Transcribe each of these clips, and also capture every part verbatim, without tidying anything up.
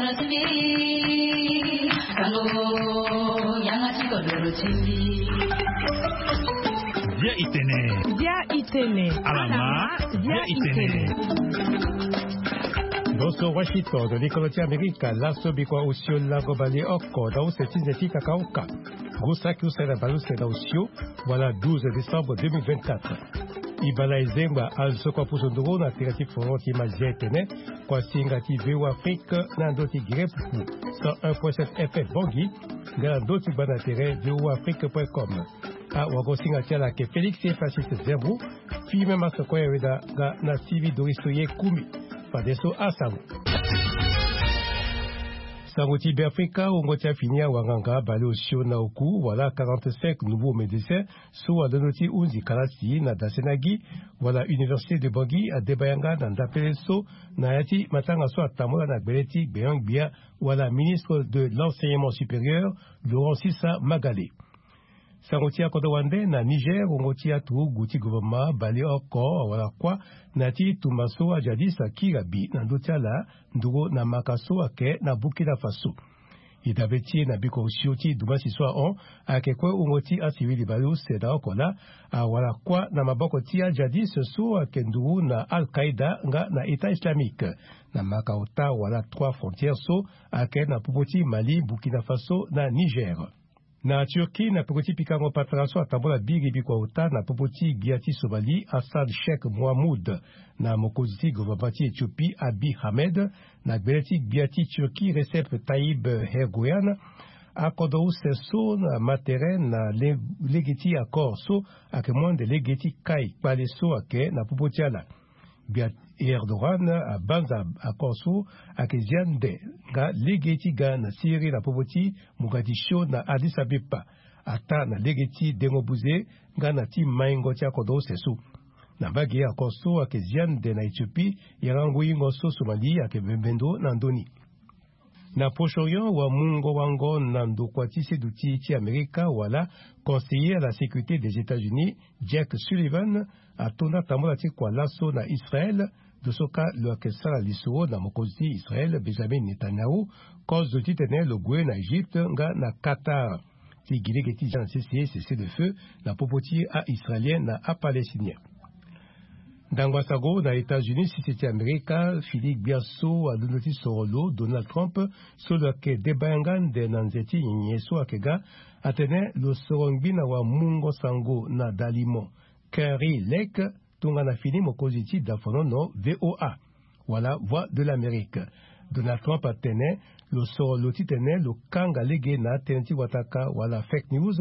Bia itene. Bia itene. Alama. Bia itene. Boso Washington, likolo ti Amerika, laso bikua osio lango bale oko na use ti nze ti kakaoka. Ngu saki use na bale use na osio, wala douze décembre deux mille vingt-quatre. Ibala ezengba azo kua pusu nduru na tere ti foro ti Mazia etene, kua singa ti V O Afrique na ndo ti Gire Pupu, cent un point sept F M Bangui, nga na ndo ti gba na tere V O Afrique point com. Awagosinga ti ala ayeke Félix Francis Zerbo, Firmin Masoko Yaweda nga na Sylvie Doriso Yekumi. Fadeso asango. Sango ti Beafrika, wungo ti afini awanganga bale osio na oku, wala quarante-cinq nouveaux médecins, so alondo ti hunzi kalasi na dase na gi, wala Université de Bangui adeba yanga na ndapele so, na ya ti matanga so atambula na gbele ti gbeon-gbia, wala ministre de l'enseignement supérieur, Laurent Sissa Magale. Sango ti akodro wande na Niger, wungo ti aturugu ti gouvernement bale oko wala kuâ na ya ti tumba so ajadis akiri abi na ndö ti ala nduru na maka so ayeke na Burkina Faso. E dabe ti e na biko osio ti dumasi so ahon, ayeke kue wungo ti asivili bale use na oko laa awara kuâ na maboko ti ajadis so ayeke nduru na Al-Qaïda nga na État islamique, na maka ota wala trois frontières so ayeke na popo ti Mali, Burkina Faso na Niger. Na Turquie, na peko ti pikango patara so atambula biri bikua ota na popo ti gbia ti Somalie, Hassan Sheikh Mohamoud, na mokonzi ti gouvernement ti Éthiopie, Abiy Ahmed, na gbele ti gbia ti Turquie, Recep Tayyip Erdogan, akodro use so na ma tere na le-, lege ti accord so ayeke mu ande lege ti kai kpale so ayeke na popo ti ala. Gbia Erdogan abanza accord so ayeke zia nde nga lege ti ga na Syrie na popo ti Mogadiscio na Addis Abeba, ataa na lege ti dengo buze nga na ti maingo ti akodro use so. Na mbage accord so ayeke zia nde na Éthiopie, yanga ngu yingo so Somalie ayeke bembe ndo na ndö ni. Na Proche-Orient, wamungo wango na ndokua ti seduti ti Amerika wala conseiller à la sécurité des États-Unis, Jake Sullivan, atonda tambula ti kua laso na Israël, ndo so kâ lo yeke sara lisoro na mokonzi ti Israël, Benjamin Netanyahu, kozo titene lo gue na Égypte nga na Qatar ti gi lege ti zia na sese cessez-le-feu na popo ti a-Israélien na a-Palestinien. Ndangba sango na États-Unis, sese ti Amerika, fini gbia so alondo ti soro lo, Donald Trump, so lo yeke deba yanga nde na nze ti nyenye so ayeke ga, atene lo soro ngbi na wamungo sango na dalimo, Kari Lake, tongana fini mokonzi ti dafonono V O A, wala Voix de l'Amérique. Donald Trump atene lo soro lo titene lo kanga lege na atënë ti wataka wala fake news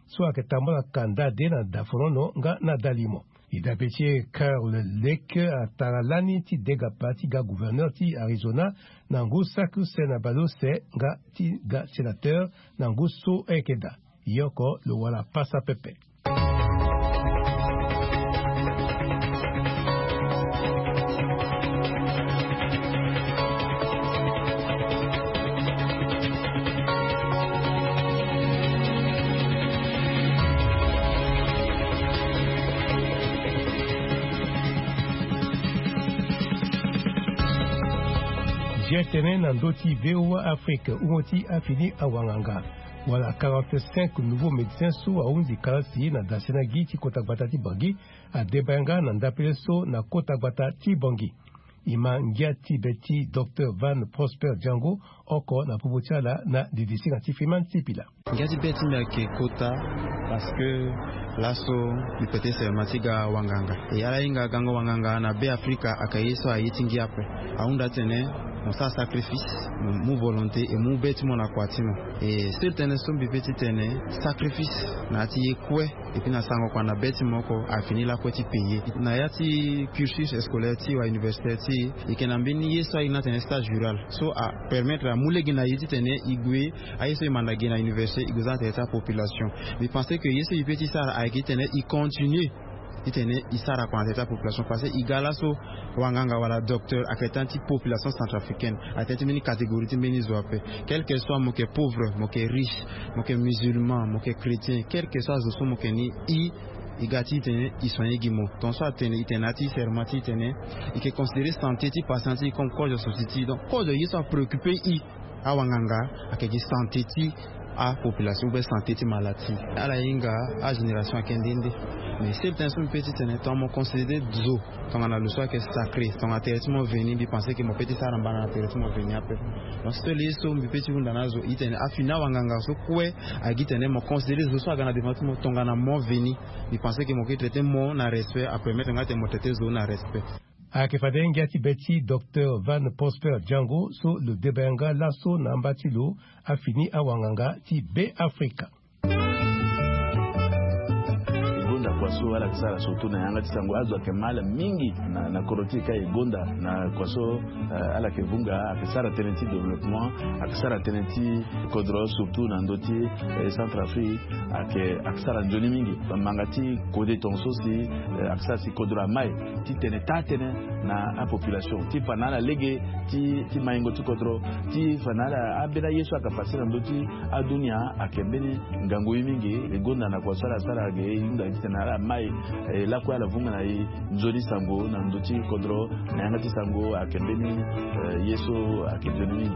so ayeke tambolaka ndade na dafonono nga na dalimo. E dabe ti e, Kari Lake atara lani ti degapa ti ga gouverneur ti Arizona na ngu saki use na bale use nga ti ga sénateur na ngu so ayeke daa. E oko lo wara pasa pepe. Zia tënë na ndö ti V O A Afrique, wungo ti afini awanganga. Wala quarante-cinq nouveaux médecins so ahunzi kalasi na dase na gi ti kota gbata ti Bangui, adeba yanga na ndapele so na kota gbata ti Bangui. E ma ngia ti be ti Docteur Van Prosper Django, oko na popo ti ala na didisinga ti Freeman Sipila. Ngia ti be ti mbi ayeke kota, parce que laso mbi peut ti seulement ti ga wanganga. E ala hinga gango wanganga na Be Afrika ayeke ye so aye ti ngia ape. Ahunda titene mo sara sacrifice, mo mu volonté, e mu be ti mo na kua ti mo. E seul tënë so mbi pe ti tene, sacrifice na ya ti ye kue, et puis na sango kua na be ti mo oko, afini lakue ti payer. Na ya ti cursus scolaire ti e wala universitaire ti e, e yeke na mbeni ye so ahinga atene stage rural, so apermettre amu lege na e titene e gue, aye so e manda ge na université, e gue za na tere ti apopulation. Mbi pense que ye so e pe ti sara ayeke titene e continue titene e sara kua na tere ti apopulation, parce que e ga laso wanganga wala docteur ayeke tënë ti population centrafricaine, ayeke tënë ti mbeni catégorie ti mbeni zo ape. Quel que soit mo yeke pauvre, mo yeke riche, mo yeke musulman, mo yeke chrétien, quel que soit zo so mo yeke ni, e E ga ti tene e soigner gi mo. Tongaso atene e tene na ya ti serment ti tene e yeke considérer santé ti patient ti e comme kozo so si ti e. Donc kozo ye so apréoccuper e, awanganga, ayeke gi santé ti apopulation ou bien santé ti malade ti e. Ala hinga agénération ayeke nde nde. Mais sere tënë so mbi pe ti tene tongana mo considérer zo tongana lo so ayeke sacré, tongana tere ti mo veni, mbi pense ke mo pe ti sara mbana na tere ti mo veni ape. Donc seul ye so mbi pe ti hunda na azo e tene afini awanganga so kue, agi tene mo considérer zo so aga na devant ti mo tongana mo veni. Mbi pense ke mo ke traiter mo na respect, apermettre nga tene mo traiter zo na respect. Ayeke fade ngia ti be ti Docteur Van Prosper Django so lo deba yanga laso na amba ti lo afini awanganga ti Beafrika. E gonda kua so ala yeke sara surtout na yanga ti sango. Azo ayeke mal mingi na, na kodro ti e ka e gonda na kua so, eh, ala yeke vunga, ayeke sara tënë ti développement, ayeke sara tënë ti kodro surtout na ndö ti, eh, Centrafrique, ayeke, ayeke sara nzoni mingi. Bamanga ti kode tongaso si, eh, ayeke sara si kodro amai ti tene taa tënë na apopulation ti fa na ala lege ti, ti maingo ti kodro, ti fa na ala ambeni aye so ayeke pase na ndö ti adunia ayeke mbeni ngangu ye mingi. E gonda na kua so ala sara ge e hunda titene ala mai, eh, lakue ala vunga na e nzoni sango na ndö ti kodro na yanga ti sango ayeke mbeni, eh, ye so ayeke nzoni mingi.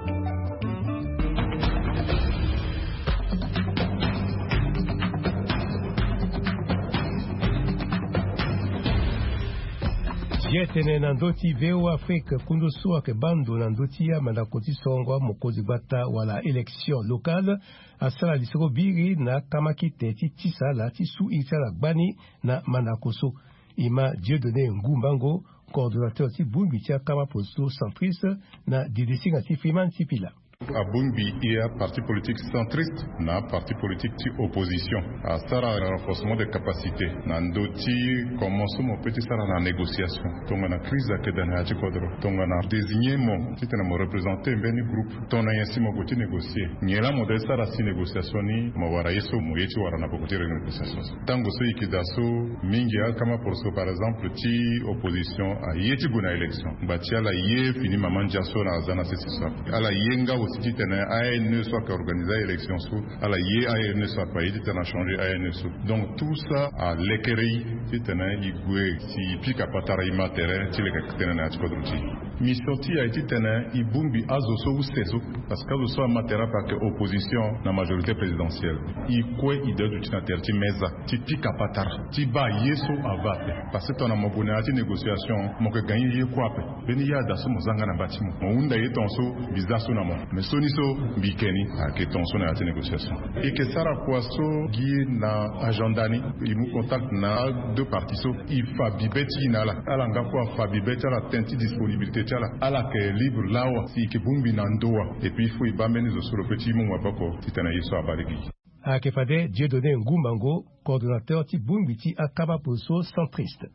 Ye tene na ndö ti V O A Afrique, kundu so ayeke baa ndo na ndö ti amandako ti sorongo amokonzi gbata wala élection locale asara lisoro biri na akama kite ti tisa ala ti su iri ti ala gbani na mandako so. E ma Dieudonné Ngumbango, coordonnateur ti bongbi ti akama polo so centriste, na didisinga ti Freeman Sipila. Abongbi e aparti politique centriste na aparti politique ti opposition, asara renforcement de capacité na ndö ti comment so mo pe ti sara na négociation. Tongana crise ayeke daa na ya ti kodro, tongana désigner mo titene mo représenter mbeni groupe, tongana nyen si mo gue ti négocier, nyen laa mo doit sara si négociation ni mo wara ye so mo ye ti wara na peko ti renégociation so. Tango so e yeke daa so, mingi akama poroso par exemple ti opposition aye ti gue na élection, ngba ti ala ye fini mama ndia so na aza na sese so ape. Ala ye nga aussi titene A N E so ayeke organiser élection so, ala ye A N E so ape, aye titene achanger A N E so. Donc tout ça alekere e titene e gue si e pika patara, e ma tere ti leke tënë na ya ti kodro ti e. Mission ti e aye titene e bongbi azo so use so, parce que azo so ama tere ape ayeke opposition na majorité présidentielle. E kue e doit duti na tere ti meza ti pika patara, ti baa ye so ava ape. Parce que tongana mo gue na ya ti négociation, mo yeke gagner ye kue ape. Mbeni ye ada so mo za nga na mba ti mo, mo hunda ye tongaso mbi za so na mo. Mais sioni so mbi yeke ni, ayeke tongaso na ya ti négociation. E yeke sara kua so gi na agenda ni, e mu contact na deux parties so, e fa bibe ti e na ala. Ala nga kue afa bibe ti ala, tënë ti disponibilité ti ala. Ala yeke libre lawa si e yeke bongbi na ndo wa. Et puis il faut e baa mbeni zo so lo pe ti mu maboko titene ye so abaa lege. Ayeke fade Dieudonné Ngumbango, coordonnateur ti bongbi ti akama polo so centriste.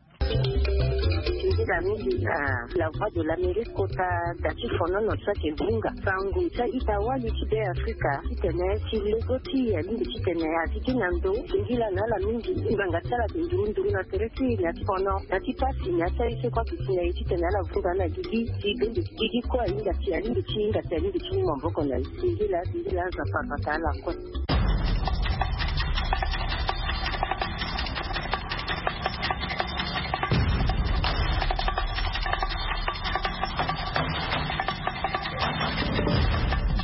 Nzila mingi na La Voix de l'Amérique kota da ti fonono so ayeke vunga sango ti a-ita wali ti Beafrika titene ti lego ti e alingbi titene azi ti na ndo. Singila na ala mingi, ngbanga ti ala ayeke nduru nduru na tere ti e na ya ti fono, na ya ti pasi, na ya ti aye so kue ayeke si na e titene ala vunga na gigi ti bende gigi kue ahinga ti, alingbi ti hinga ti, alingbi ti mu maboko na e. Singila, singila aza parpata ala kue.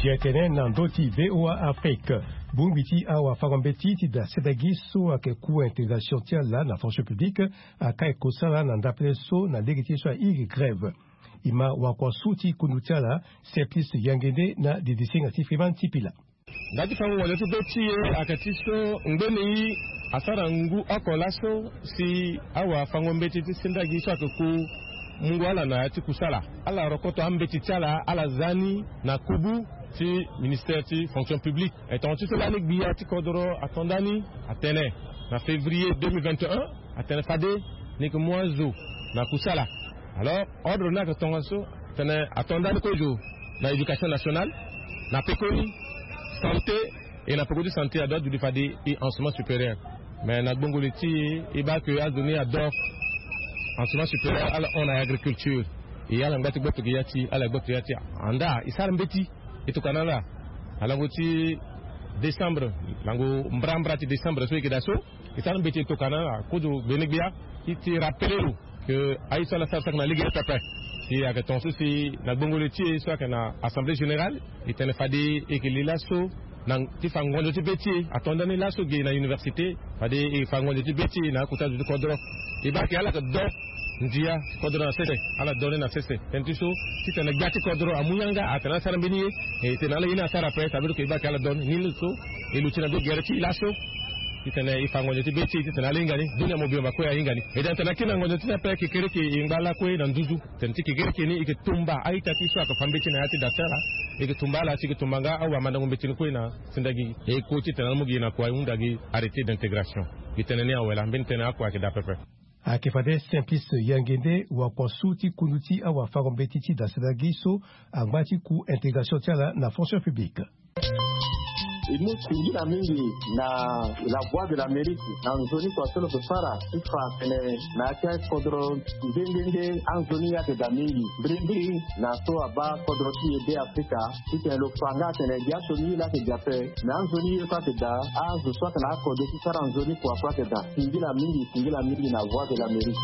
Ye tene na ndö ti V O A Afrique, bongbi ti awafango-mbeti ti da sedagi so ayeke cour intégration ti ala na fonction publique, akai kosala na ndapele so na lege ti ye so airi grève. E ma wakua so ti kundu ti ala, Simplice Yangende na didisinga ti Freeman Sipila. Nda ti fango wande ti be ti e ayeke ti so ngbeni asara ngu oko laso si awafango-mbeti ti sendagi so ayeke ku mungo ala na ya ti kusala. Ala rokoto ambeti ti ala, ala za ni na kubu ti ministère ti fonction publique. E tonga ti so lani gbia ti kodro ato ndani atene na février deux mille vingt et un, atene fade ni yeke mu azo na kusala. Alors ordre ni ayeke tongaso, tene ato ndani kozo na éducation nationale, na pekoni, santé, e na peko ti santé adoit duti fade e enseignement supérieur. Mais na gbongo li ti e, e baa ke azo ni ador enseignement supérieur ala hon na agriculture. E ala ngba ti gboto gi ya ti ala, gboto ya ti andaa e sara mbeti. E tokua na ala na lango ti décembre, lango mbrambra ti décembre so e yeke daa so. E sara mbeti e tokana na kozo gbene gbia ti ti rapele lo ke aye so ala sara saki na lege pepe. Si ayeke tonga so si na gbongolo ti e so ayeke na assemblée générale, e tene fade e yeke li laso na ti fa ngonzo ti be ti e. Ato ndani laso ge na université, fade e fa ngonzo ti be ti e na akota zo ti kodro. E baa ke ala yeke do ndia ti kodro na sese, ala do ni na sese. Tënë ti so titene gbia ti kodro amu yanga atene ala sara mbeni ye. E tene ala ye ni asara ape, ça veut dire que e baa ke ala do ni ni so e luti na ndo gere ti e laso. Titene e fa ngonzo ti be ti e titene ala hinga ni, dunia mobimba kue ahinga ni. E tene tene akiri na ngonzo ti ni ape, kekereke e ngba lakue na nduzu. Tene ti kekereke ni e yeke tumba a-ita ti e so ayeke fa mbeti na ya ti dasere. E yeke tumba ala si e yeke tumba nga awamandango mbeti ni kue na sendagi. E ko titene ala mu gi na kua e hunda gi arrêté d'intégration. Gi tënë ni awe laa, mbeni tënë akua ayeke daa pepe. Ayeke fade Simplice Yangende, wakuasu ti kundu ti awafango-mbeti ti dasere gi so angba ti ku intégration ti ala na fonction publique. E mu singila mingi na La Voix de l'Amérique na nzoni kua so lo yeke sara ti fa atene na ya ti akodro nde nde nde anzoni ye ayeke daa mingi. Mbirimbiri na so abaa kodro ti e Be Afrika, titene lo fa nga atene gi aso ni ye laa ayeke daa ape. Na anzoni ye so ayeke daa, azo so ayeke na akode ti sara nzoni kua so ayeke daa. Singila mingi, singila mingi na Voix de l'Amérique.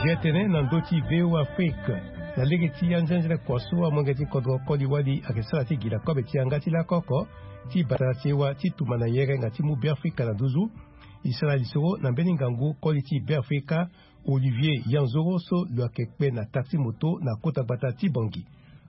Zia tene na ndö ti V O A Afrique. Na lege ti anzenze kua so amolenge ti kodro koli wali ayeke sara ti gi na kobe ti yanga ti lako oko ti batara sewa ti tumba na yerenga ti mu Beafrika na nduzu. E sara lisoro na mbeni ngangu koli ti Beafrika, Olivier Yanzoro, so lo yeke kpe na taxi moto na kota gbata ti Bangui.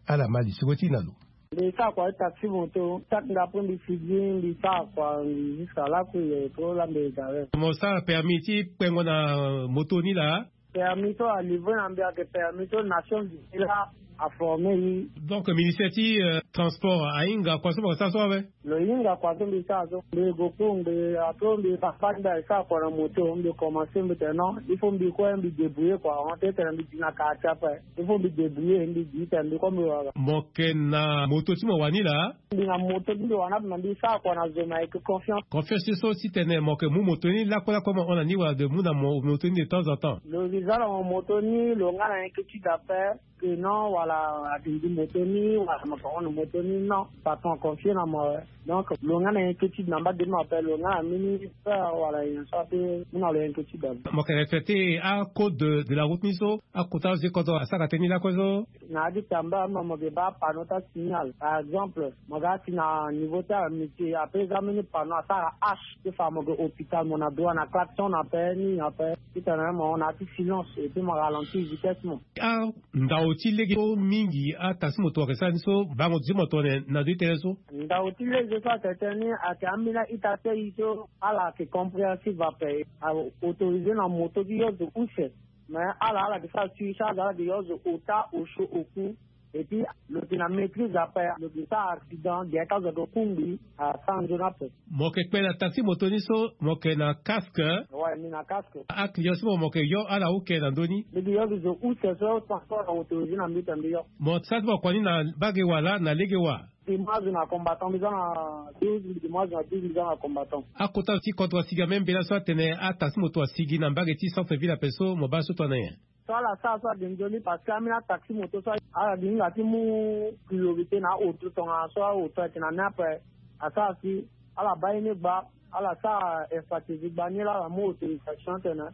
Ala ma lisoro ti e na lo. Mbi sara kua ti taxi moto, saki nga apo mbi figi, mbi sara kua, mbi jusqu'à laku ye po la mbi gare. Mo sara permis ti kpengo na moto ni laa? Permis so alivre na mbi ayeke permis so Nations Unies la aforme e. Donc ministère ti, euh, transport ahinga kua so mo sara so awe? Lo hinga kua so mbi sara so. Mbi gue cours, mbi, après mbi papa ti mbi asara kua na moto, mbi commencé, mbi tene non, il faut mbi kue mbi débrouiller kua, on tene mbi di na quartier ape. Il faut mbi débrouiller, mbi di tene mbi kue mbi wara. Mo yeke na moto ti mo wani laa? Mbi na moto ti mbi wani ape, me mbi sara kua na zo me ayeke confiance. Confiance ti so titene mo yeke mu moto ni lakue lakue mo hon na ni wala de mu na mo moto ni de temps en temps? Lo zi za na mo moto ni, lo nga na inquiétude ape. Que non, wala, ati ndi moto ni, wala mo yeke hon na moto ni, non. Patron aconfie na mo awe. Donc lo nga na inquiétude na mbage ti mo ape, lo nga na mbeni peur wala nyen so ape mu na lo inquiétude ape. Mo yeke respecter acode de, de la route ni so akota zo ti kodro asara tënë ni lakue so? Na ya ti tamba mo, mo yeke baa panneau ti asignal. Par exemple, mo ga si na niveau ti amitié, après eza mbeni panneau asara H, ti fa mo yeke hôpital, mo na droit na klaxon na ape, nini ape. Titene mo na ya ti silence, et puis mo ralentir vitesse mo. Andao ti lege so mingi ataxi moto ayeke sara ni so, bango ti mo tongana na ndö ti tënë so? Ndao ti lege so ayeke tënë ni ayeke ambeni a-ita ti aye so ala yeke compréhensive ape. A autorisé na moto ti yo zo use. Mais ala, ala yeke sara surcharge, ala yeke yo zo ota, osio, oku. Et puis lo yeke na maîtrise ape, lo yeke sara accident, gere ti azo ayeke kungbi, asara nzoni ape. Mo yeke kpe na taxi moto ni so, mo yeke na casque? Ouais, mbi na casque. Aclient so mo, mo yeke yo ala uke na ndö ni? Mbi yeke yo gi zo use so transport na autorisé na mbi tene mbi yo. Mo sara ti mo kua ni na mbage wa laa na lege wa? Mbi mu azo na combattant, mbi za na douze, mbi mu azo na douze, mbi za na combattant. Akota ti kodro asigi ambeni mbela so atene ataxi moto asigi na mbage ti centre ville ape so, mo baa so tongana nyen? So ala sara so ade nzoni parce que ambeni ataxi moto so ala gi hinga ti mu priorité na aoto tongana so aoto ayeke na ni ape. Asara si ala baa ye ni gba, ala sara expertise gba ni laa ala mu autorisation tene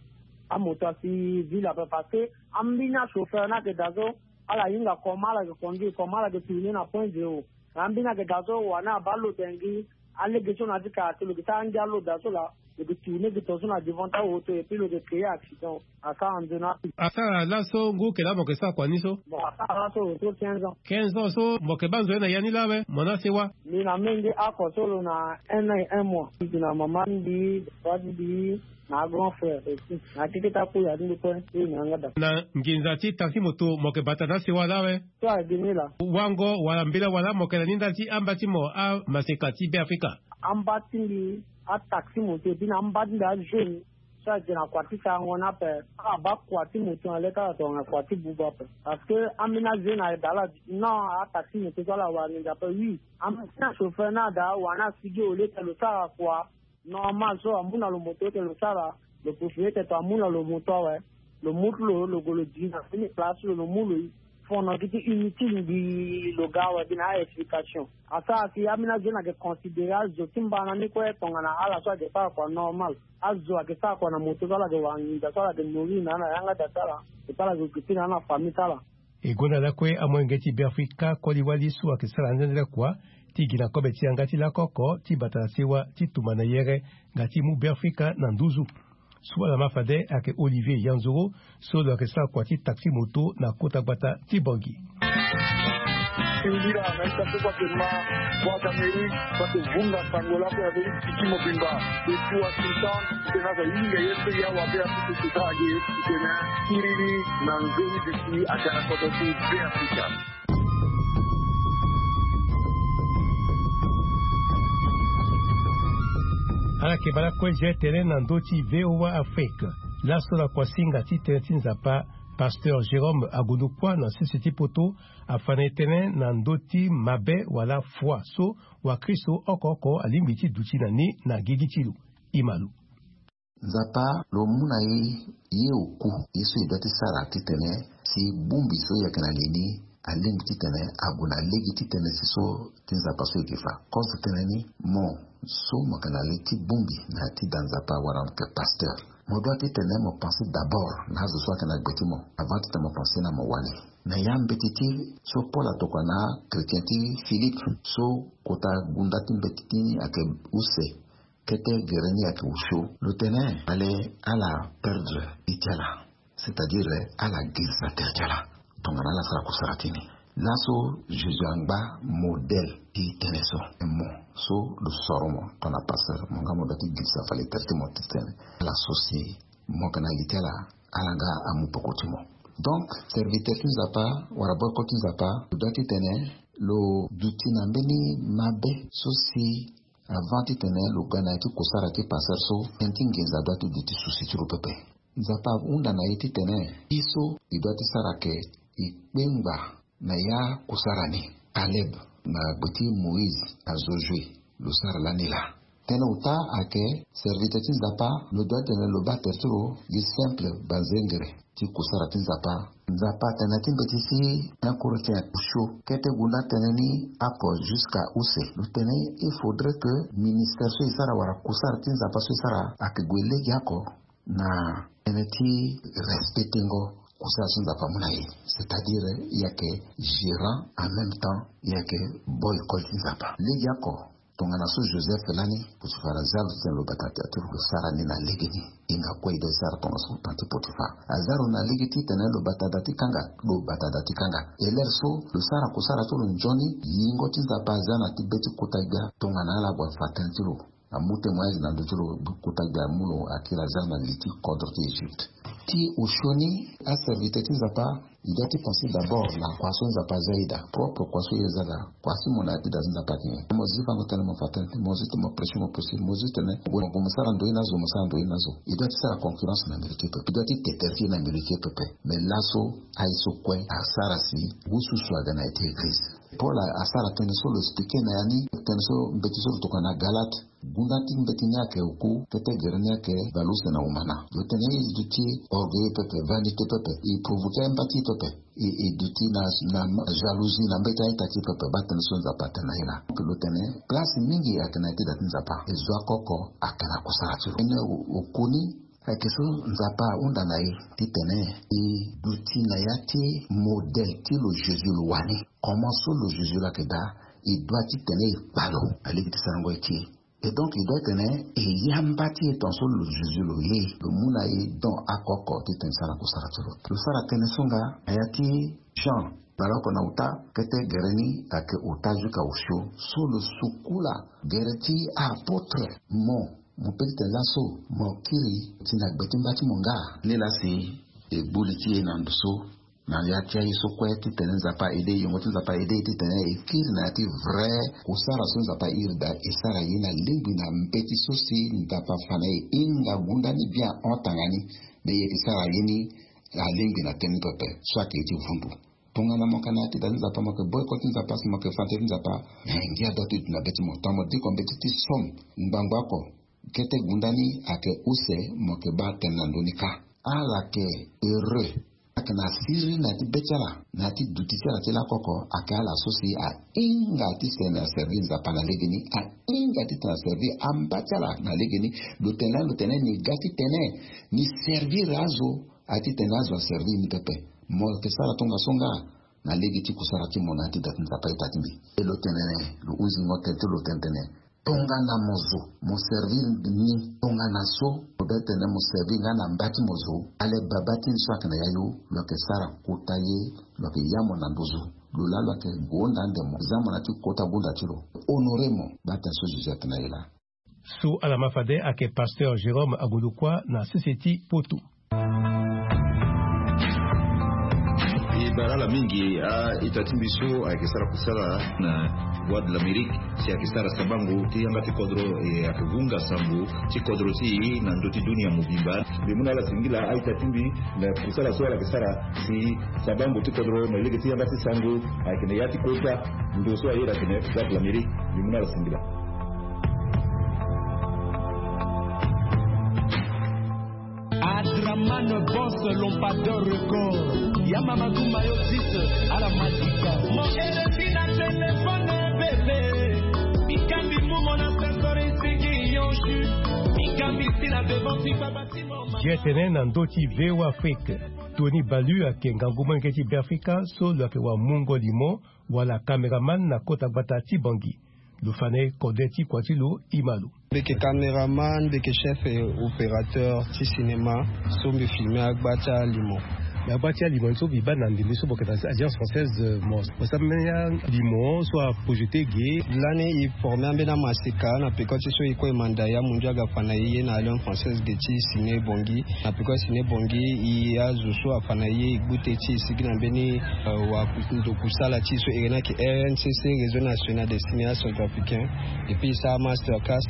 amoto asi ville ape parce que ambeni achauffeur ni ayeke daa so ala hinga comment ala yeke conduire, comment ala yeke tourner na point zéro. Na ambeni ayeke daa so wani abaa lo tene gi alege so na ya ti quartier lo yeke sara angia lo daa so laa. lo ke tourner ke tonso na devant awoto et puis lo ke créer accident. Asara nzoni ape. Asara laso ngu kela mo ke sara kua ni so? Bon, asara laso lo to quinze ans. Quinze ans so mo ke baa nzoni na ya ni lawe mo na sewa? Mbi na menge ako so lo na un an et un mois. Mbi na mama mbi, papa mbi, na grand frère aussi na keke ta kula ni kue. Mbi na yanga da. Na nginza ti taxi moto mo ke bata na sewa lawe? So a geni la. Wango wala mbela wala mo ke na ni ndali ti amba ti mo amaseka ti Beafrika? Amba ti mbi ataxi moto et puis na amba ti mbi ajeune. So ayeke na kua ti sarango ni ape. Ala baa kua ti moto na le ti ala tongana kua ti buba ape. Parce que ambeni ajeune ayeke daa ala duti non, ataxi moto so ala wara nginza ape oui. Ambeni achauffeur ni ada wani asigi au lieu ti lo sara kua normal so amu na lo moto ete lo sara. Lo possibilité ti amu na lo moto awe. Lo mu ti lo lo gue lo di na mbeni place lo lo mu lo. Fono gi ti inutile mbi lo ga awe gi na a-explication. Asara si ambeni azo ni ayeke considérer azo ti mbana ni kue tongana ala so ayeke sara kua normal. Azo ayeke sara kua na moto so ala yeke wara nginza so ala yeke nourrir na ala na yanga da ti ala. Et puis ala yeke gue ti na ala na famille ti ala. E gonda lakue amolenge ti Beafrika koli-wali so ayeke sara anzene lakua ti gi na kobe ti yanga ti lako oko ti bata na sewa ti tumba na yere nga ti mu Beafrika na nduzu. So ala ma fade ayeke Olivier Yanzoro so lo yeke sara kua ti taxi moto na kota gbata ti Bangui. Singila na ita so kua ke ma Voix d'Amérique, kua ke vunga sango lako ya beri tiki mobimba. Depuis Washington, tena za yinga ye pe ya wa be Afrika ti ta age tena kiriri na nzoni bisi agara koto ti Beafrika. Ala yeke baa lakue je tene na ndö ti V O A Afrique. Laso lakua singa ti tënë ti Nzapa, pasteur Jérôme Agondo Kua na sese ti poto, afa na e tënë na ndö ti mabe wala foi so wakristo oko oko alingbi ti duti na ni na gigi ti lo. E ma lo. Nzapa lo mu na e ye oku ye so e doit ti sara titene si bongbi so e yeke na li ni alingbi titene ague na lege ti tënë si so ti Nzapa so e ke fa. Kozo tënë ni, mo so mo yeke na li ti bongbi na ya ti da Nzapa wala mo yeke pasteur, mo doit titene mo pense d'abord na azo so ayeke na gbe ti mo avant titene mo pense na mo wali. Na ya mbeti ti so Paul atokua na achrétien ti Philippe so kota gunda ti mbeti ti ni ayeke use. Kete gere ni ayeke osio. Lo tene ale ala perdre ita ti ala, c'est-à-dire ala girisa tere ti ala tongana ala sara kusara ti ni. Laso Jésus angba modèle ti tënë so. Mo so lo soro mo tongana pasteur, mo nga mo doit ti girisa fade tere ti mo titene ala so si mo yeke na li ti ala, ala nga amu peko ti mo. Donc serviteur ti Nzapa wala boko ti Nzapa lo doit titene lo duti na mbeni mabe so si avant titene lo ga na ya ti kusara ti pasteur so, tënë ti nginza doit ti duti susi ti lo pepe. Nzapa ahunda na e titene i so i doit ti sara ke i kpengba na ya kusara ni. Caleb na gbe ti Moïse na Josué lo sara lani laa. Tënë ota ayeke serviteur ti Nzapa lo doit titene lo baa tere ti lo gi simple banzengere ti kusara ti Nzapa. Nzapa atene na ya ti mbeti ti un Corinthiens osio kete gunda tënë ni oko jusqu'à use. Lo tene il faudrait que ministère so e sara wala kusara ti Nzapa so e sara ayeke gue legeoko na tënë ti respectengo kusara so Nzapa amu na e. C'est-à-dire e yeke gérant, en même temps e yeke boy koli ti Nzapa. Legeoko tongana so Joseph lani, Potifar aza lo titene lo bata tere ti lo, lo sara ni na lege ni. E nga kue e doit ti sara tongana so temps ti Potifar aza lo na lege titene lo bata da ti kanga, lo bata da ti kanga. E lere so lo sara kusara ti lo nzoni, yingo ti Nzapa aza na ti be ti kota gbia tongana ala gue afa tënë ti lo. Amu témoignage na ndö ti lo, kota gbia amu lo akiri aza na li ti kodro ti Egypte. Ti osio ni, aserviteur ti Nzapa, i doit ti penser d'abord na kua so Nzapa aza e daa, propre kua so e za daa. Kua so mo na ya ti da ti Nzapa ayeke nyen? Mo zi fango tënë mo fa tënë, mo zi tene mo prêcher mo prêcher, mo zi tene mo gue mo sara ndo ye na zo mo sara ndo ye na zo. I doit ti sara concurrence na mbeni ti e pepe, i doit ti te tere ti e na mbeni ti e pepe. Mais laso aye so kue asara si ngu susu aga na ya ti église. Paul asara tënë so lo expliquer na ya ni, tënë so mbeti so lo tokua na Galate. Gunda ti mbeti ni ayeke oku, kete gere ni ayeke baleuse na omana. Lo tene e duti orgueilleux pepe, vanité pepe, e provoquer amba ti e pepe, e, e duti na, na jalousie na mbeti a-ita ti e pepe. Baa tënë so Nzapa atene na e laa. Donc lo tene place mingi ayeke na ya ti da ti Nzapa, e zo oko oko ayeke na kusara ti lo. Tënë o, oku ni ayeke so Nzapa ahunda na e titene e duti na ya ti modèle ti lo Jésus lo wani. Comment so lo Jésus lo ayeke daa, e doit titene e kpa lo na lege ti sarango ye ti e. Et donc e doit tene e yamba ti e tongaso lo zuzu lo ye lo mu na e don oko oko titene e sara kusara ti lo. Lo sara tënë so nga na ya ti Jean, na loko na uta kete gere ni ayeke uta jusqu'à osio. So lo sukula gere ti apotre. Mo mo pe titene laso mo kiri ti na gbe ti mba ti mo nga. Nilaa si e gbu li ti e na ndo so na ya ti aye so kue titene Nzapa aide e, yongo ti Nzapa aide e titene e kiri na ya ti vrai kusara so Nzapa airi daa, e sara ye na lingbi na mbeti so si Nzapa afa na e hinga gunda ni bien ahon tanga ni. Me e yeke sara ye ni alingbi na tënë ni pepe so ayeke ye ti vundu. Tongana mo yeke na ya ti da ti Nzapa, mo yeke boycott ti Nzapa si mo yeke fa tënë ti Nzapa, eh, ngia adoit ti duti na be ti mo. Tongana mo diko mbeti ti somme ngbangbo oko, kete gunda ni ayeke use, mo yeke baa tënë na ndö ni kâ. Ala yeke heureux. Ayeke na siriri na ya ti be ti ala, na ya ti duti ti ala ti lakoko, ayeke ala so si ahinga titene aservi Nzapa na legeni, ahinga titene aservi amba ti ala na legeni. Lo tene lani, lo tene ni ga titene ni servir azo, aye titene azo aservi ni pepe. Mo yeke sara tongaso nga na lege ti kusara ti mo na ya ti da ti Nzapa ita ti mbi. E lo tene lo hunzingo tene ti lo tene tene, tongana mo zo mo servir ni, tongana so lo be tene mo servir nga na mba ti mo zo, ale baba ti ni so ayeke na yayu, lo yeke sara kota ye, lo yeke ya mo na nduzu. Lo laa lo yeke gonda ande mo, za mo na ya ti kota gunda ti lo. Honore mo, baa tene so Jésus atene na e laa. So ala ma fade ayeke pasteur Jérôme Agolokua na sese ti Poto. E bara ala mingi a-ita ti mbi so ayeke sara kusala na Voix de l'Amérique, si ayeke sara sabango ti yanga ti kodro, e ayeke vunga sango ti kodro ti e na ndö ti dunia mobimba. Mbi mu na ala singila a-ita ti mbi na kusala so ala yeke sara si sabango ti kodro na lege ti yanga ti sango ayeke na ya ti kota ndo so aye ayeke na Voix de l'Amérique. Mbi mu na ala singila. Adraman Boss Lompador Record. Ya Mamadou Mayo dix à la Magica. Mon R F I na téléphone bébé. Mikambi mumo na sensori sigi yonshi. Mikambi si na devant ti baba ti mo mama. Ye tene na ndö ti V O A Afrique. Tony Balu ayeke ngangu molenge ti Beafrika so lo yeke wamungo limo wala caméraman na kota gbata ti Bangui. Lo fa na e kode ti kua ti lo, e ma lo. Mbi yeke caméraman, mbi yeke chef opérateur ti cinéma so mbi filme agba ti alimo. Na agba ti alimo ni so mbi baa na ndembe so mo yeke na Alliance Française, euh, mo, mo sara mbeni alimo so aprojete ge. Lani e forme ambeni amaseka na peko ti so e kue e manda ya mundu aga fa na e ye na Alliance Française ge ti ciné Bangui. Na peko ciné Bangui, e azo so afa na e ye e gbu te ti e sigi na mbeni, euh, wa ndo kusala ti e so e iri ni ayeke R N C C, Réseau National des Cinéastes Centrafricains. Et puis e sara masterclass,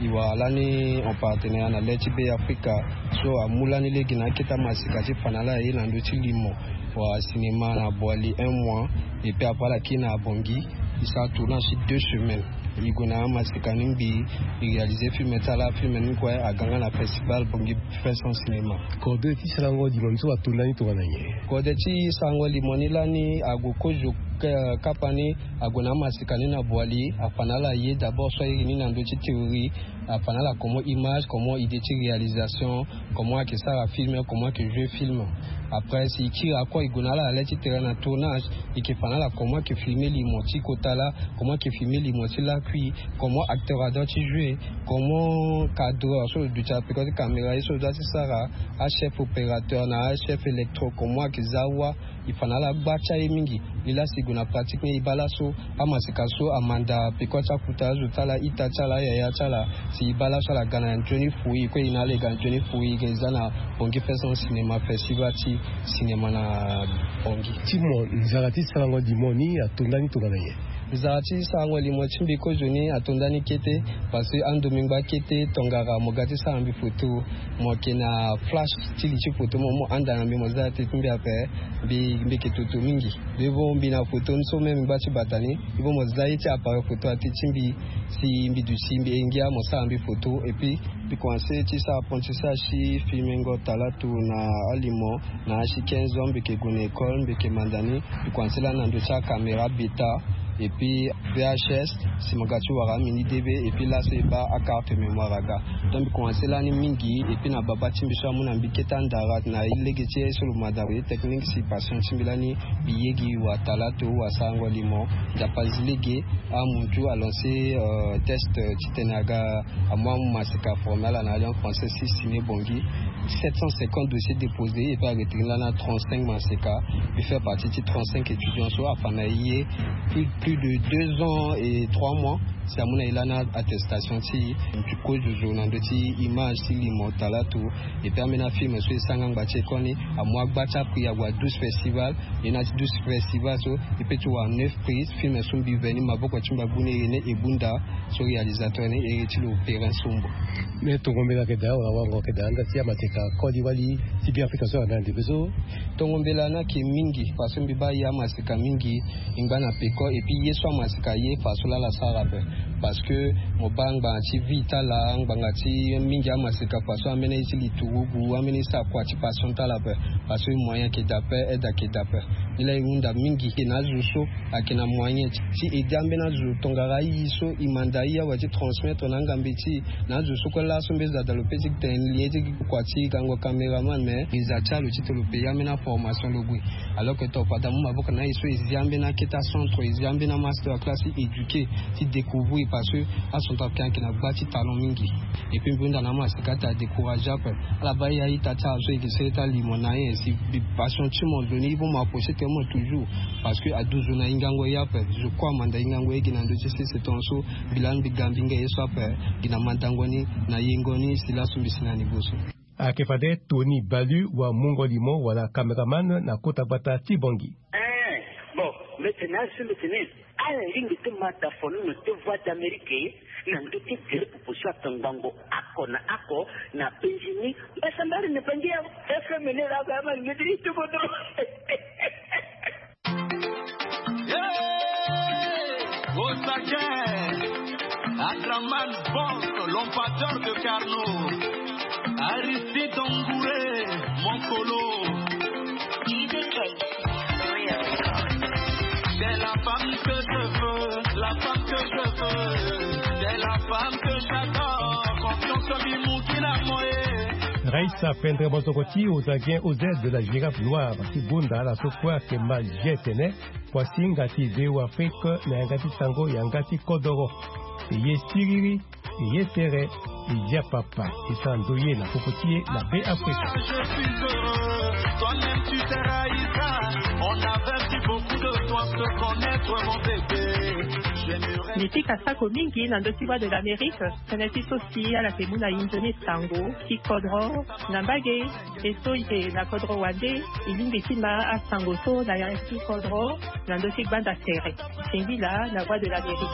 e wara lani en partenariat na le ti Beafrika so amu lani lege na akete amaseka ti fa na ala ye na ndö ti limo. Wala cinéma na Boali un mois. Et puis après ala kiri na Bangui, e sara tournage ti deux semaines. E gue na amaseka ni ngbii, e réaliser film ti ala, film ni kue aga nga na festival Bangui Fest en Cinéma. Kode ti sarango limo ni so atonda ni tongana nyen? Kode ti sarango limo ni lani ague kozo, eh, kapa ni ague na amaseka ni na Boali, afa na ala ye d'abord so a iri ni na ndö ti théorie, afa na ala comment image, comment idée ti réalisation, comment ayeke sara film, comment ayeke jouer film. Après si e kiri encore e gue na ala na le ti terrain na tournage, e yeke fa na ala comment ayeke filmer limo ti kota laa, comment ayeke filmer limo ti lakui, comment acteur adoit ti jouer, comment cadreur so lo duti na peko ti caméra ye so lo doit ti sara, achef opérateur na achef électro comment ayeke za wâ. E fa na ala gba ti aye mingi. Nilaa si e gue na pratique ni e baa laso amaseka so amanda peko ti akuta azo ti ala, ita ti ala, ayaya ti ala. Si e baa laso ala ga na nzoni fouille, e kue e na ala e ga na nzoni fouille, e ga e za na Bangui Fest en Cinéma, festival ti cinéma na Bangui. Ti mo, nzara ti sarango limo ni atonda ni tongana nyen? Nzara ti sarango limo ti mbi kozoni atonda ni kete, parce que andomingo akete tongara mo ga ti sara mbi foto, mo yeke na flash ti li ti foto, mo, mo handa na mbi, mo za ate ti mbi ape, mbi, mbi yeke toto mingi. Mbi vo mbi na foto ni so même mbi gba ti bata ni, mbi vo mo za ye ti appareil foto ate ti mbi, si mbi duti mbi he ngia mo sara mbi foto, et puis mbi komanse ti sara apprentissage ti filmengo talato na alimo, na asi quinze ans mbi yeke gue na école, mbi yeke manda ni, mbi komanse lani na ndö ti acaméra bêta, Et puis V H S, si mo ga ti wara amini debe, et puis laso e baa akarte mémoire aga. Donc mbi komanse lani mingi, et puis na baba ti mbi so amu na mbi kete andara na lege ti ye so lo ma daa technique, si patient ti mbi lani mbi ye gi watalato wasarango limo. Nzapa zi lege, amuntu alanse test titene aga amu amu maseka formé ala na alliance française si signé bongi. Sept cent cinquante dossiers déposés, et puis aretirer lana trente-cinq maseka. Mbi fait partie ti trente-cinq étudiants so afa na ye plus de deux ans et trois mois. Si amu na ye lana attestation ti mbi kozo zo na ndö ti image ti limo talato. Et puis ambeni afilm so e sara nga ngba ti e koni, amu agba ti akui ague na douze festival. E na ti douze festival so e pe ti wara neuf prix. Film so mbi veni maboko ti mbi agu ni e ne e bunda. So réalisateur ni e ti lo perin sombo. Mais tongo mbela ayeke daa wala wango ayeke daa nda ti amaseka koli wali ti Beafrika so ala na ndembe so. Tongo mbela ni ayeke mingi parce que mbi baa ye amaseka mingi. E ngba na peko et puis ye so amaseka ye fa so laa ala sara ape. Parce que mo baa ngbanga ti vie ti ala, ngbanga ti mingi amaseka fa so ambeni aye ti liturugu, ambeni sara kua ti passion ti ala ape. Parce que moyen ayeke daa ape, aide ayeke daa ape. Nilaa e hunda mingi e na azo so ayeke na moyen ti aider ambeni azo tongana aye so e manda aye awe ti transmettre na angambe ti e. Na azo so kue laso mbeni azo ada lo pe ti tene lien ti kua ti gango caméraman, mais e za ti ala lo titene lo payer ambeni aformation lo gue. Alors que to fade amu maboko na aye so e zi ambeni akete acentre, e zi ambeni amaster classe ti éduquer, ti découvrir parce que acentrafricain ayeke na gba ti talent mingi. Et puis mbi hunda na amaseka ti adécourager ape. Ala baa ye a-ita ti ala so e yeke sere ti alimo na aye si mbi passion ti mo nzoni e baa mo approcher tene mo toujours. Parce que aduzo na hingango ye ape. Zo kue amanda hingango ye gi na ndö ti sese tongaso. Mbi lani mbi ga mbi hinga ye so ape. Gi na mandango ni na yengo ni si laso mbi si na niveau so. Ayeke fade Tony Balu wa mungo limo wala caméraman na kota gbata ti Bangui. Eh, bon, mbi tene azo mbi tene ala lingbi ti ma dafono na ti Voix d'Amérique na ndö ti gere popo so atongbango oko na oko na penzi ni. Mbasambari na penzi ya F M ni laa ama lingbi ti tukutu. Au taquet, Adraman Boss, l'empatteur de Carnot, Aristide Ongouré, mon colo. C'est la femme que je veux, la femme que je veux, c'est la femme que j'adore. Confiance en lui, mon qu'il a moyen. Raïssa Pendre Mozokoti, aux Aguiens, aux aides de la girafe noire, ti bunda ala so kue ayeke ma jetene. Kuasinga ti Zéo Afrique na yanga ti sango yanga ti kodoro. E ye siriri, e ye tere, e ya papa, e sara ndoye na popo ti e na Be Afrika. Mbi pika sako mingi na ndö ti Voix de l'Amérique, tënë ti so si ala yeke mu na e nzoni sango ti kodro na mbage. E so e yeke na kodro wande, e lingbi ti ma asango so na yanga ti kodro na ndö ti gbanda tere. Singila na Voix de l'Amérique.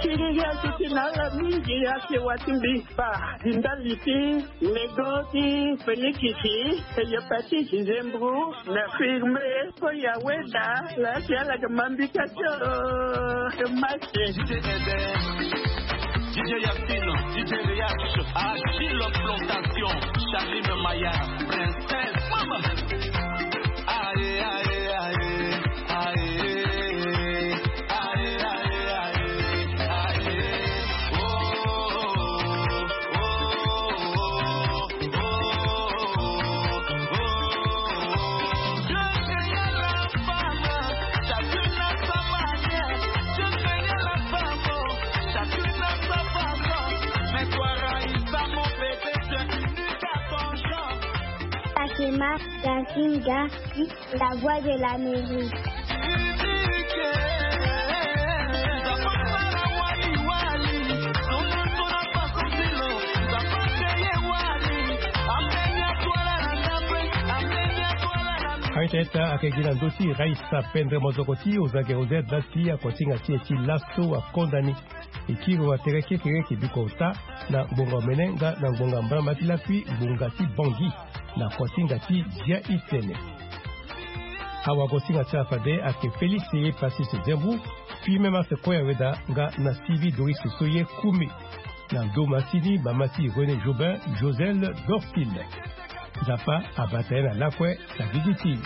Siriri asuti na ala mingi, asewa ti mbi. Ba, di ndali ti nego ti fenikisi, hépatite, zembro, na firme, ko ya weda, la si ala ga mambika ti o, ke masi. D J Eden, D J Yacine, D J Reaction, Achille Plantation, Charline Maya, Princesse, Mama. Aye, aye, aye, aye. Fatima Gasinga, la voix de l'Amérique. Aita eta ayeke gi na ndö ti Raïssa Pendre Mozokoti, Ozage Rosette, dasi akotinga ti e ti laso akonda ni. E kiri wa tere kekereke biko ota na ngbonga omene nga na ngbonga mbalamba ti lakui ngbonga ti Bangui na kotinga ti dia itene. Awagosinga ti ala fade ayeke Félix Passy Sezembu, Firmin Masse Koya Weda nga na Sylvie Doris so ye Koumé. Na ndo masini mama ti René Jobin, Joselle Dorcil. Nzapa abata ye na lakue na gigi ti.